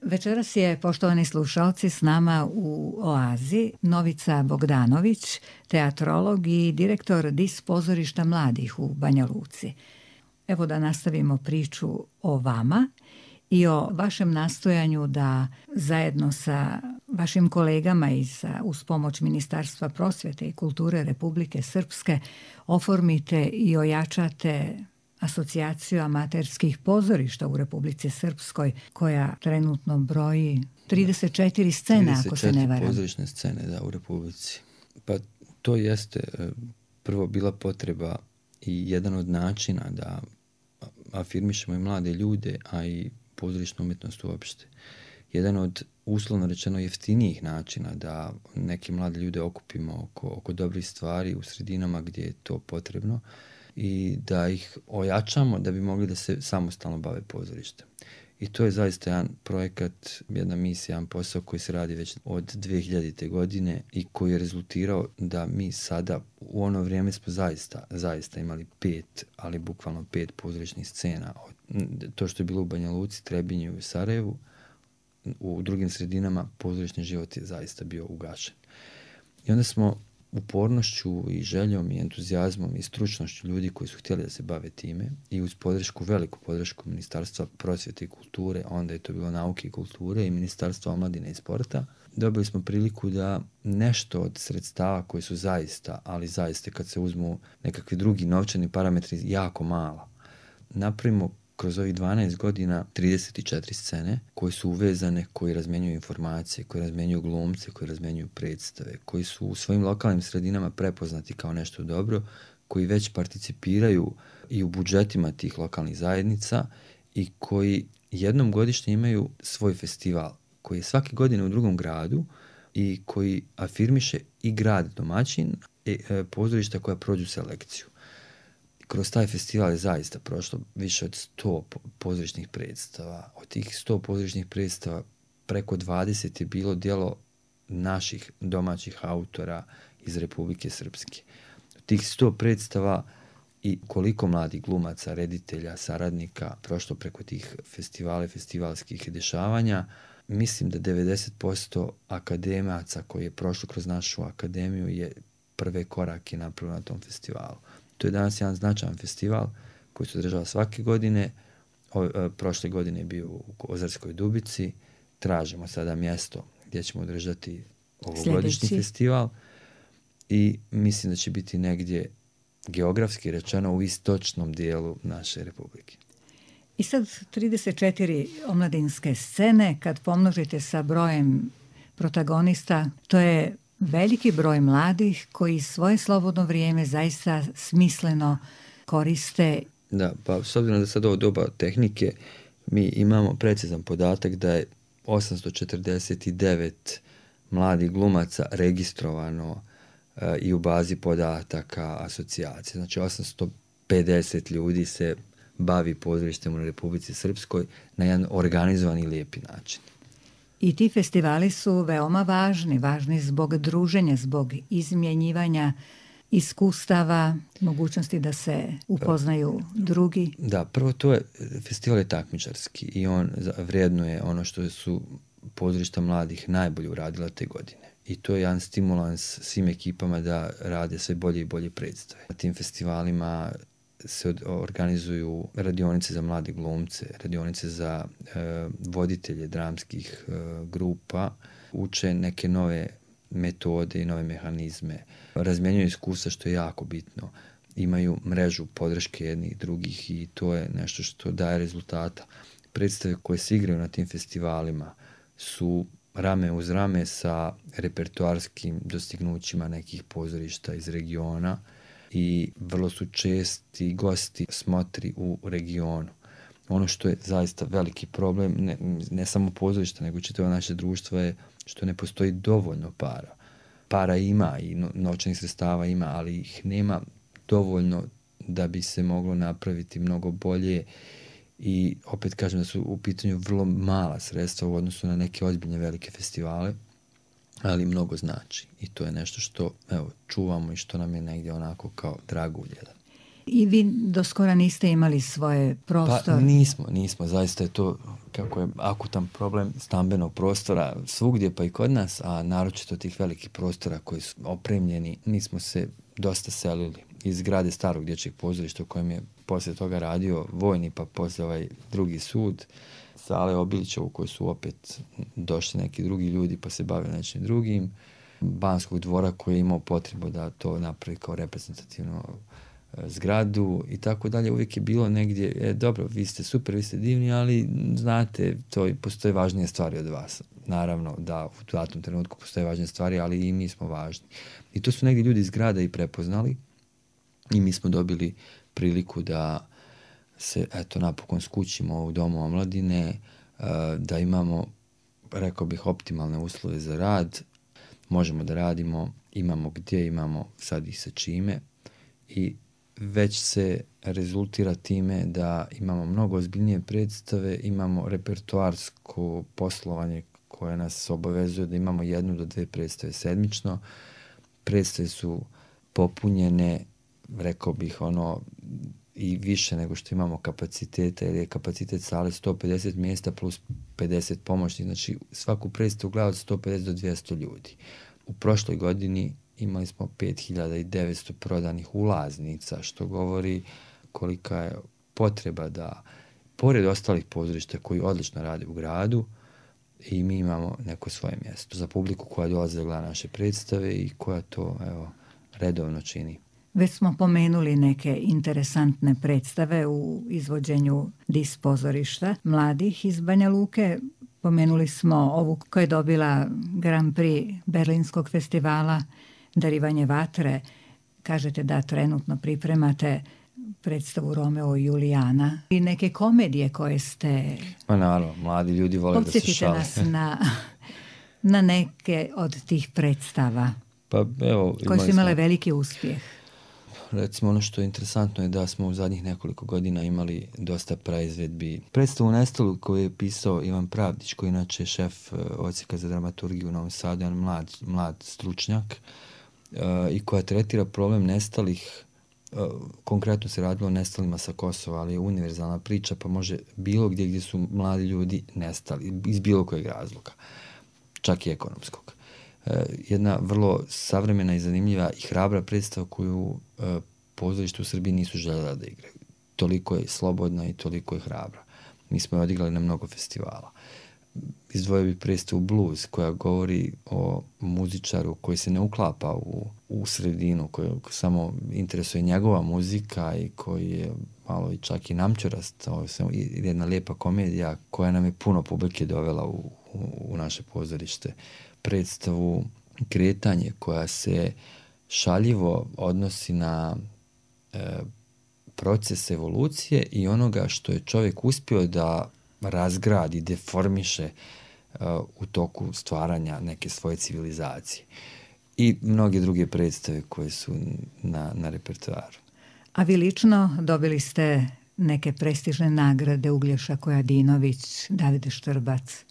Večeras je, poštovani slušalci, s nama u Oazi Novica Bogdanović, teatrolog i direktor DIS pozorišta mladih u Banja Luci. Evo da nastavimo priču o vama i o vašem nastojanju da zajedno sa vašim kolegama i uz pomoć Ministarstva prosvjete i kulture Republike Srpske oformite i ojačate asocijaciju amaterskih pozorišta u Republici Srpskoj, koja trenutno broji 34 scene, ako se ne varam. 34 pozorišne scene, da, u Republici. Pa to jeste prvo bila potreba i jedan od načina da afirmišemo i mlade ljude, a i pozorišnu umjetnost uopšte. Jedan od, uslovno rečeno, jeftinijih načina da neke mlade ljude okupimo oko dobrih stvari u sredinama gdje je to potrebno i da ih ojačamo da bi mogli da se samostalno bave pozorištem. I to je zaista jedan projekat, jedna misija, jedan posao koji se radi već od 2000. godine i koji je rezultirao da mi sada, u ono vrijeme smo zaista imali 5, ali bukvalno 5 pozorišnih scena. To što je bilo u Banja Luci, Trebinju i Sarajevu, u drugim sredinama pozorišni život je zaista bio ugašen. I onda smo upornošću i željom i entuzijazmom i stručnošću ljudi koji su htjeli da se bave time i uz veliku podršku Ministarstva prosvjete i kulture, onda je to bilo nauke i kulture i Ministarstva omladine i sporta, dobili smo priliku da nešto od sredstava koji su zaista kad se uzmu nekakvi drugi novčani parametri jako mala, napravimo kroz ovih 12 godina 34 scene koje su uvezane, koji razmjenjuju informacije, koji razmjenjuju glumce, koji razmjenjuju predstave, koji su u svojim lokalnim sredinama prepoznati kao nešto dobro, koji već participiraju i u budžetima tih lokalnih zajednica i koji jednom godišnje imaju svoj festival, koji je svake godine u drugom gradu i koji afirmiše i grad domaćin pozorišta koja prođu selekciju. Kroz taj festival je zaista prošlo više od 100 pozorišnih predstava. Od tih 100 pozorišnih predstava preko 20 je bilo djelo naših domaćih autora iz Republike Srpske. Od tih 100 predstava i koliko mladih glumaca, reditelja, saradnika prošlo preko tih festivala i festivalskih dešavanja, mislim da 90% akademaca koji je prošlo kroz našu akademiju je prve korake napravio na tom festivalu. To je danas jedan značajan festival koji se održava svake godine. Prošle godine je bio u Ozarskoj Dubici. Tražimo sada mjesto gdje ćemo održati ovogodišnji festival i mislim da će biti negdje geografski rečeno u istočnom dijelu naše republike. I sad 34 omladinske scene, kad pomnožite sa brojem protagonista, to je veliki broj mladih koji svoje slobodno vrijeme zaista smisleno koriste. Da, pa s obzirom da sad ovo doba tehnike, mi imamo precizan podatak da je 849 mladih glumaca registrovano i u bazi podataka asocijacije. Znači 850 ljudi se bavi pozorištem u Republici Srpskoj na jedan organizovan i lijepi način. I ti festivali su veoma važni zbog druženja, zbog izmjenjivanja iskustava, mogućnosti da se upoznaju drugi. Da, prvo to je, festival je takmičarski i on vrednuje ono što su pozorišta mladih najbolje uradila te godine. I to je jedan stimulans svim ekipama da rade sve bolje i bolje predstave. Na tim festivalima se organizuju radionice za mlade glumce, radionice za voditelje dramskih grupa, uče neke nove metode i nove mehanizme, razmjenjuju iskustva što je jako bitno, imaju mrežu podrške jednih drugih i to je nešto što daje rezultata. predstave koje se igraju na tim festivalima su rame uz rame sa repertoarskim dostignućima nekih pozorišta iz regiona i vrlo su česti gosti smotri u regionu. Ono što je zaista veliki problem, ne samo pozorišta, nego čitavo naše društvo je što ne postoji dovoljno para. Para ima i novčanih sredstava ima, ali ih nema dovoljno da bi se moglo napraviti mnogo bolje i opet kažem da su u pitanju vrlo mala sredstva u odnosu na neke ozbiljne velike festivale, ali mnogo znači i to je nešto što čuvamo i što nam je negdje onako kao dragulj jedan. I vi do skora niste imali svoje prostore? Pa nismo, zaista je to kako je akutan problem stambenog prostora svugdje pa i kod nas, a naročito tih velikih prostora koji su opremljeni, mi smo se dosta selili iz zgrade starog dječjeg pozorišta u kojem je poslije toga radio vojni, pa poslije ovaj drugi sud, sale Obilića u kojoj su opet došli neki drugi ljudi pa se bave nečim drugim, Banskog dvora koji je imao potrebu da to napravi kao reprezentativno zgradu i tako dalje. Uvijek je bilo negdje, dobro, vi ste super, vi ste divni, ali znate, postoje važnije stvari od vas. Naravno da u datom trenutku postoje važnije stvari, ali i mi smo važni. I to su negdje ljudi iz grada i prepoznali i mi smo dobili priliku da se, napokon skućimo u Domu omladine, da imamo, rekao bih, optimalne uslove za rad, možemo da radimo, imamo gdje, imamo sad i sa čime i već se rezultira time da imamo mnogo ozbiljnije predstave, imamo repertoarsko poslovanje koje nas obavezuje da imamo 1 do 2 predstave sedmično. Predstave su popunjene, rekao bih, i više nego što imamo kapaciteta, jer je kapacitet sale 150 mjesta plus 50 pomoćnih, znači svaku predstavu gleda od 150 do 200 ljudi. U prošloj godini imali smo 5900 prodanih ulaznica, što govori kolika je potreba da, pored ostalih pozorišta koji odlično rade u gradu, i mi imamo neko svoje mjesto za publiku koja dolazi da gleda naše predstave i koja to redovno čini. Već smo pomenuli neke interesantne predstave u izvođenju DIS pozorišta mladih iz Banja Luke. Pomenuli smo ovu koja je dobila Grand Prix Berlinskog festivala Darivanje vatre. Kažete da trenutno pripremate predstavu Romeo i Julijana i neke komedije koje ste... Pa naravno, mladi ljudi vole da se šale. Podsjetite nas na neke od tih predstava koje su imale veliki uspjeh. Recimo, ono što je interesantno je da smo u zadnjih nekoliko godina imali dosta praizvedbi. Predstavu Nestalu koju je pisao Ivan Pravdić, koji inače je šef odsjeka za dramaturgiju u Novom Sadu, jedan mlad stručnjak, i koja tretira problem nestalih. Konkretno se radilo o nestalima sa Kosova, ali je univerzalna priča, pa može bilo gdje su mladi ljudi nestali iz bilo kojeg razloga, čak i ekonomskog. Jedna vrlo savremena i zanimljiva i hrabra predstava koju pozorište u Srbiji nisu željela da igraju. Toliko je slobodna i toliko je hrabra. Mi smo je odigrali na mnogo festivala. Izdvojio bih predstavu Blues, koja govori o muzičaru koji se ne uklapa u sredinu, koji samo interesuje njegova muzika i koji je malo i čak i namćurast. Jedna lijepa komedija koja nam je puno publike dovela u naše pozorište. Predstavu Kretanje, koja se šaljivo odnosi na proces evolucije i onoga što je čovjek uspio da razgradi, deformiše u toku stvaranja neke svoje civilizacije. I mnoge druge predstave koje su na repertoaru. A vi lično dobili ste neke prestižne nagrade, Uglješa Kojadinović, Davide Štrbac?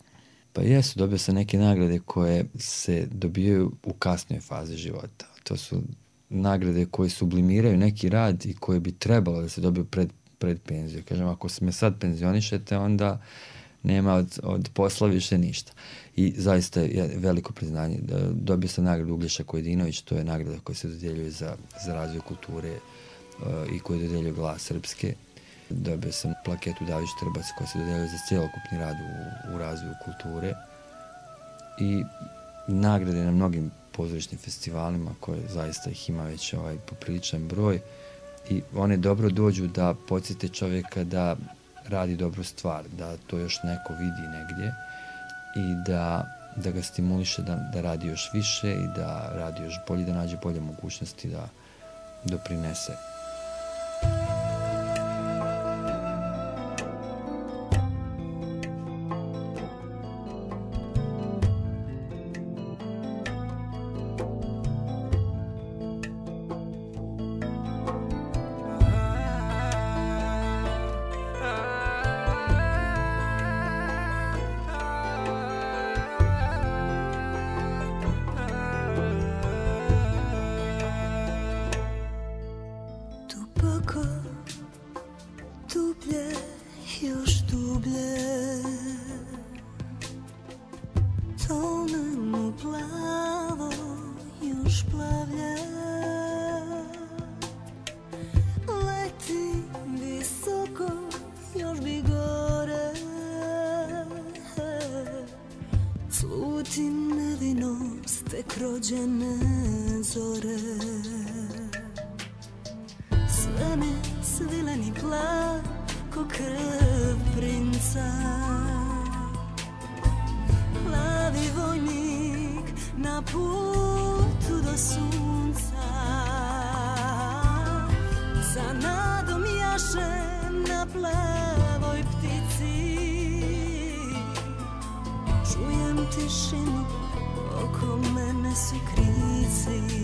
Pa jesu, dobio sam neke nagrade koje se dobijaju u kasnoj fazi života. To su nagrade koje sublimiraju neki rad i koje bi trebalo da se dobiju pred penziju. Kažem, ako se me sad penzionišete, onda nema od posla više ništa. I zaista je veliko priznanje. Dobio sam nagradu Uglješa Kojadinović, to je nagrada koja se dodjeljuje za razvoj kulture i koju dodjeljuje Glas Srpske. Dobio sam plaketu David Štrbac koja se dodjeljuje za cjelokupni rad u razvoju kulture i nagrade na mnogim pozorišnim festivalima koje zaista ih ima već popriličan broj i one dobro dođu da podsjete čovjeka da radi dobru stvar, da to još neko vidi negdje i da ga stimuliše da radi još više i da radi još bolje, da nađe bolje mogućnosti da doprinese. rođene zore. Sve mi svileni plav ko krv princa. Plavi vojnik na putu do sunca. Za nadom jaše na plavoj ptici. Čujem tišinu, oko mene su krici.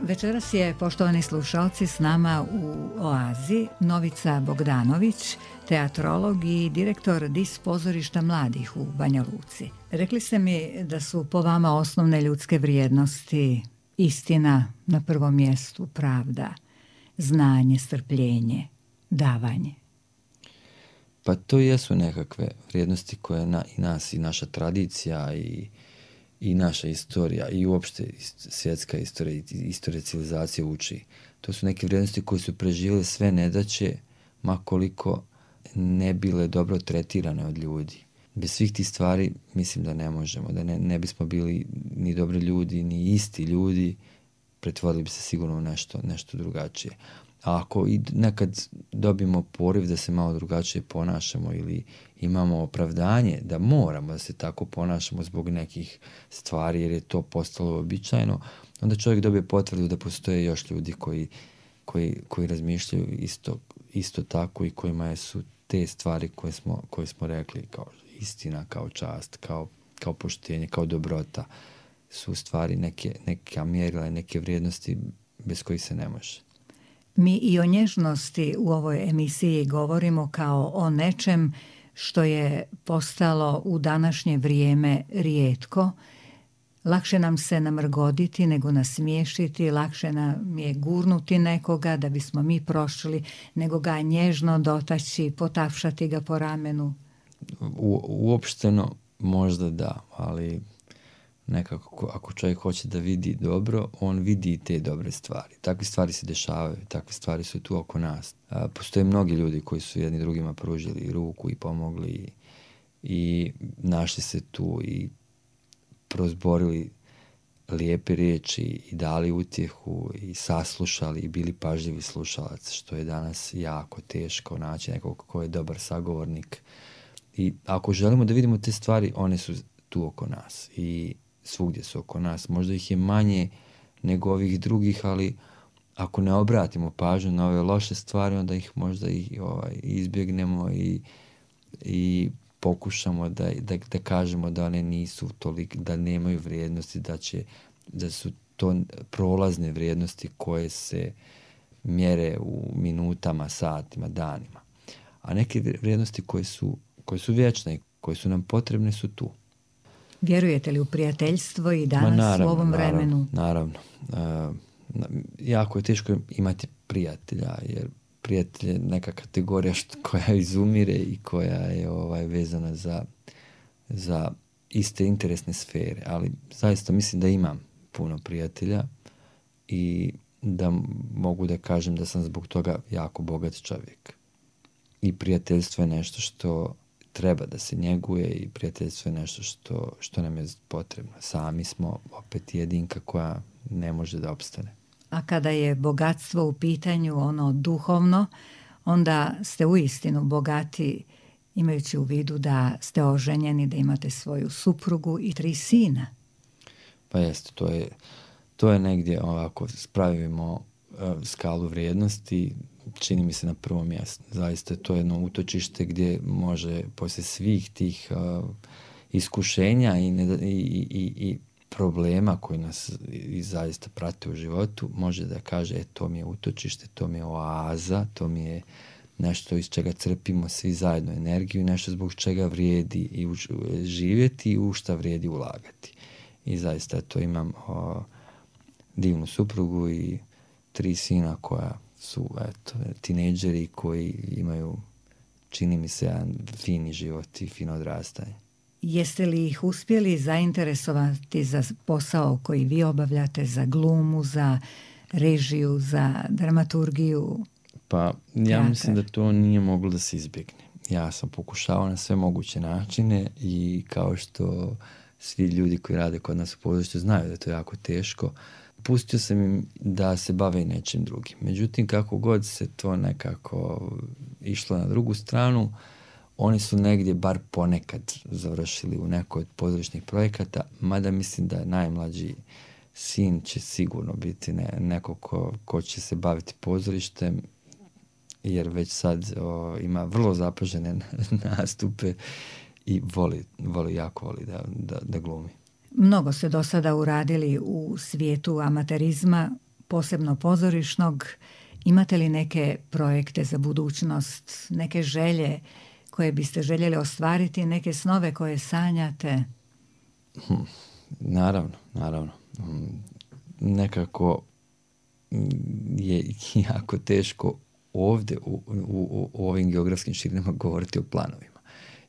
Večeras je, poštovani slušalci, s nama u Oazi Novica Bogdanović, teatrolog i direktor DIS pozorišta mladih u Banja Luci. Rekli ste mi da su po vama osnovne ljudske vrijednosti istina na prvom mjestu, pravda, znanje, strpljenje, davanje. Pa to jesu nekakve vrijednosti koje i nas i naša tradicija i naša istorija i uopšte svjetska istorija i istorija civilizacije uči. To su neke vrijednosti koje su preživjele sve nedaće, ma koliko ne bile dobro tretirane od ljudi. Bez svih tih stvari mislim da ne možemo, da ne bismo bili ni dobri ljudi, ni isti ljudi, pretvorili bi se sigurno u nešto drugačije. A ako i nekad dobimo poriv da se malo drugačije ponašamo ili imamo opravdanje da moramo da se tako ponašamo zbog nekih stvari jer je to postalo uobičajeno, onda čovjek dobije potvrdu da postoje još ljudi koji razmišljaju isto tako i kojima su te stvari koje smo rekli kao istina, kao čast, kao poštenje, kao dobrota su stvari neka mjerila i neke vrijednosti bez kojih se ne može. Mi i o nježnosti u ovoj emisiji govorimo kao o nečem što je postalo u današnje vrijeme rijetko. Lakše nam se namrgoditi nego nasmiješiti, lakše nam je gurnuti nekoga da bismo mi prošli, nego ga nježno dotaći, potapšati ga po ramenu. Uopšteno možda da, ali nekako ako čovjek hoće da vidi dobro, on vidi i te dobre stvari. Takve stvari se dešavaju, takve stvari su tu oko nas. Postoje mnogi ljudi koji su jedni drugima pružili ruku i pomogli i našli se tu i prozborili lijepe riječi i dali utjehu i saslušali i bili pažljivi slušalac, što je danas jako teško naći nekog ko je dobar sagovornik. I ako želimo da vidimo te stvari, one su tu oko nas i svugdje su oko nas. Možda ih je manje nego ovih drugih, ali ako ne obratimo pažnju na ove loše stvari, onda ih možda izbjegnemo i pokušamo da kažemo da one nisu toliko, da nemaju vrijednosti, da su to prolazne vrijednosti koje se mjere u minutama, satima, danima. A neke vrijednosti koje su vječne i koje su nam potrebne su tu. Vjerujete li u prijateljstvo i danas u ovom vremenu? Naravno. Jako je teško imati prijatelja, jer prijatelj je neka kategorija koja izumire i koja je vezana za iste interesne sfere, ali zaista mislim da imam puno prijatelja i da mogu da kažem da sam zbog toga jako bogat čovjek. I prijateljstvo je nešto što treba da se njeguje i prijateljstvo je nešto što nam je potrebno. Sami smo opet jedinka koja ne može da opstane. A kada je bogatstvo u pitanju, ono duhovno, onda ste uistinu bogati, imajući u vidu da ste oženjeni, da imate svoju suprugu i 3 sina. Pa jeste, to je negdje ovako, spravimo skalu vrijednosti, čini mi se na prvom mjestu. Zaista to je jedno utočište gdje može poslije svih tih iskušenja i problema koji nas i zaista prate u životu, može da kaže to mi je utočište, to mi je oaza, to mi je nešto iz čega crpimo svi zajedno energiju, nešto zbog čega vrijedi i živjeti i u šta vrijedi ulagati. I zaista to imam divnu suprugu i 3 sina koja su tinejdžeri koji imaju, čini mi se, jedan fini život i fino odrastanje. Jeste li ih uspjeli zainteresovati za posao koji vi obavljate, za glumu, za režiju, za dramaturgiju? Pa ja mislim da to nije moglo da se izbjegne. Ja sam pokušavao na sve moguće načine i kao što svi ljudi koji rade kod nas u pozorištu znaju da je to jako teško, pustio sam im da se bave i nečim drugim. Međutim, kako god se to nekako išlo na drugu stranu, oni su negdje bar ponekad završili u nekoj od pozorišnih projekata, mada mislim da najmlađi sin će sigurno biti neko ko će se baviti pozorištem, jer već sad ima vrlo zapažene nastupe i jako voli da glumi. Mnogo ste do sada uradili u svijetu amaterizma, posebno pozorišnog. Imate li neke projekte za budućnost, neke želje koje biste željeli ostvariti, neke snove koje sanjate? Naravno. Nekako je jako teško ovdje u ovim geografskim širinama govoriti o planovima.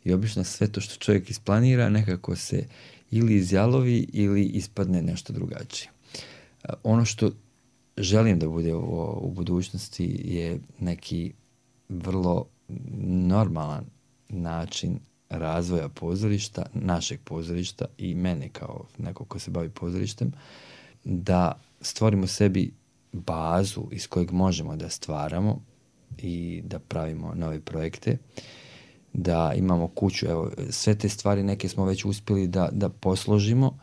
I obično sve to što čovjek isplanira nekako se ili izjalovi ili ispadne nešto drugačije. Ono što želim da bude u budućnosti je neki vrlo normalan način razvoja pozorišta, našeg pozorišta i mene kao neko ko se bavi pozorištem, da stvorimo sebi bazu iz kojeg možemo da stvaramo i da pravimo nove projekte, da imamo kuću. Evo, sve te stvari neke smo već uspjeli da posložimo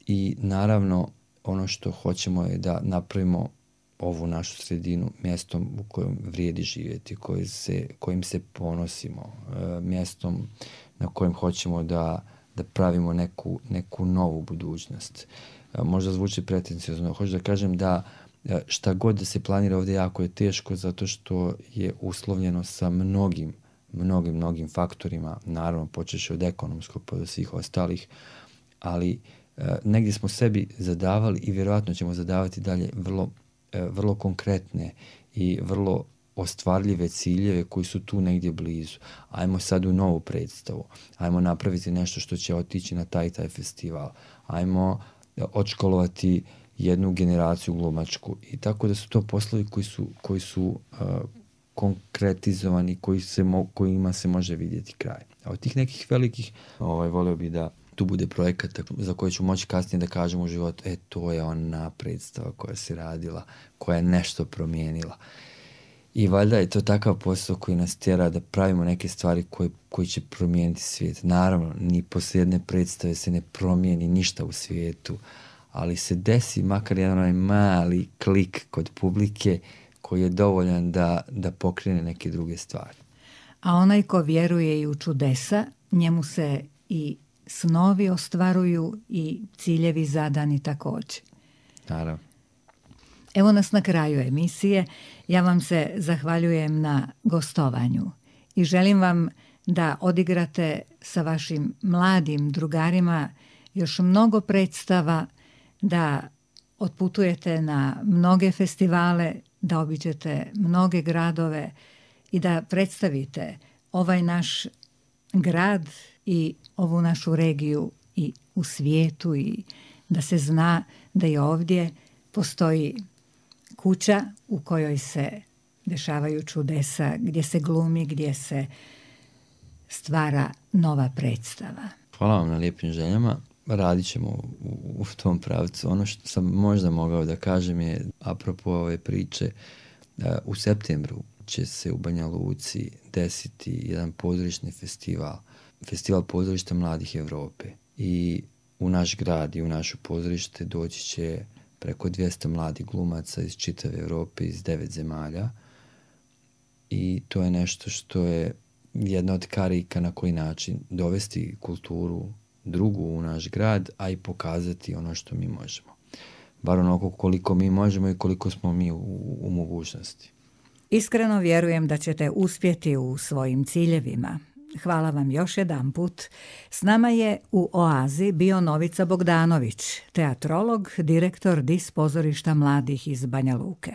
i naravno ono što hoćemo je da napravimo ovu našu sredinu mjestom u kojem vrijedi živjeti, kojim se ponosimo, mjestom na kojem hoćemo da pravimo neku novu budućnost. Možda zvuči pretenciozno, hoću da kažem da šta god da se planira ovdje jako je teško zato što je uslovljeno sa mnogim faktorima, naravno počeši od ekonomskog pa do svih ostalih, ali negdje smo sebi zadavali i vjerojatno ćemo zadavati dalje vrlo konkretne i vrlo ostvarljive ciljeve koji su tu negdje blizu. Ajmo sad u novu predstavu, ajmo napraviti nešto što će otići na taj festival, ajmo odškolovati jednu generaciju glumačku i tako da su to poslovi koji su konkretizovani, kojima se može vidjeti kraj. A od tih nekih velikih volio bi da tu bude projekata za koje ću moći kasnije da kažem u životu, to je ona predstava koja se radila, koja je nešto promijenila. I valjda je to takav posao koji nas tjera da pravimo neke stvari koji će promijeniti svijet. Naravno, ni poslije jedne predstave se ne promijeni ništa u svijetu, ali se desi makar jedan mali klik kod publike koji je dovoljan da pokrene neke druge stvari. A onaj ko vjeruje i u čudesa, njemu se i snovi ostvaruju i ciljevi zadani također. Naravno. Evo nas na kraju emisije. Ja vam se zahvaljujem na gostovanju i želim vam da odigrate sa vašim mladim drugarima još mnogo predstava, da otputujete na mnoge festivale, da obiđete mnoge gradove i da predstavite ovaj naš grad i ovu našu regiju i u svijetu i da se zna da i ovdje postoji kuća u kojoj se dešavaju čudesa, gdje se glumi, gdje se stvara nova predstava. Hvala vam na lijepim željama. Radit ćemo u tom pravcu. Ono što sam možda mogao da kažem je, apropo ove priče, u septembru će se u Banja Luci desiti jedan pozorišni festival pozorišta mladih Evrope. I u naš grad i u naše pozorište doći će preko 200 mladih glumaca iz čitave Evrope, iz 9 zemalja. I to je nešto što je jedna od karika na koji način dovesti kulturu drugu u naš grad, a i pokazati ono što mi možemo. Bar onoliko koliko mi možemo i koliko smo mi u mogućnosti. Iskreno vjerujem da ćete uspjeti u svojim ciljevima. Hvala vam još jedanput. S nama je u Oazi bio Novica Bogdanović, teatrolog, direktor DIS pozorišta mladih iz Banja Luke.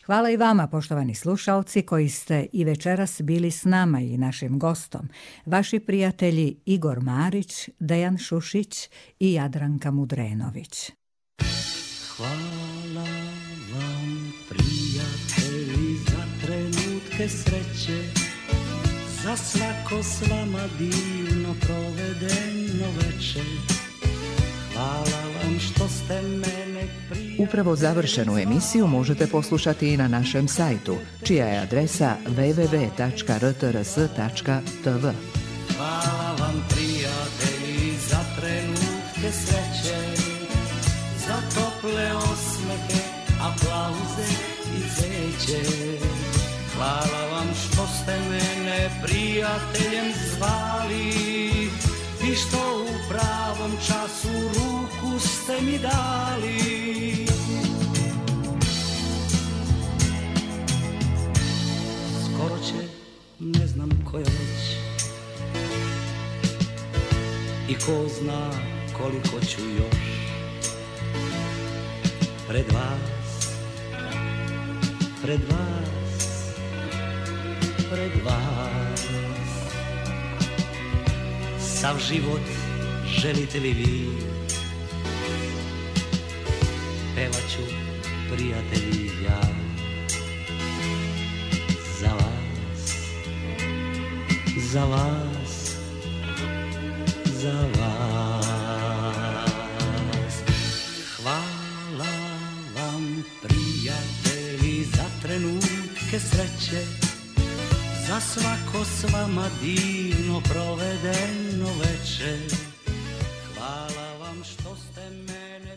Hvala i vama, poštovani slušalci, koji ste i večeras bili s nama i našim gostom, vaši prijatelji Igor Marić, Dejan Šušić i Jadranka Mudrenović. Hvala vam, prijatelji, za trenutke sreće, za svako s vama divno provedeno večer. Hvala vam što ste mene prijatelji. Upravo završenu emisiju možete poslušati i na našem sajtu, čija je adresa www.rtrs.tv. Hvala vam, prijatelji, za trenutke sreće, za tople osmehe, aplauze i cveće. Hvala vam što ste mene prijateljem zvali i što u pravom času ruku ste mi dali. Skoro će, ne znam koja već, i ko zna koliko ću još pred vas, pred vas. Sav život želite li vi, pevat ću, prijatelji, ja za vas, za vas, za vas. Hvala vam, prijatelji, za trenutke sreće, za svako s vama divno provedeno večer. Hvala vam što ste mene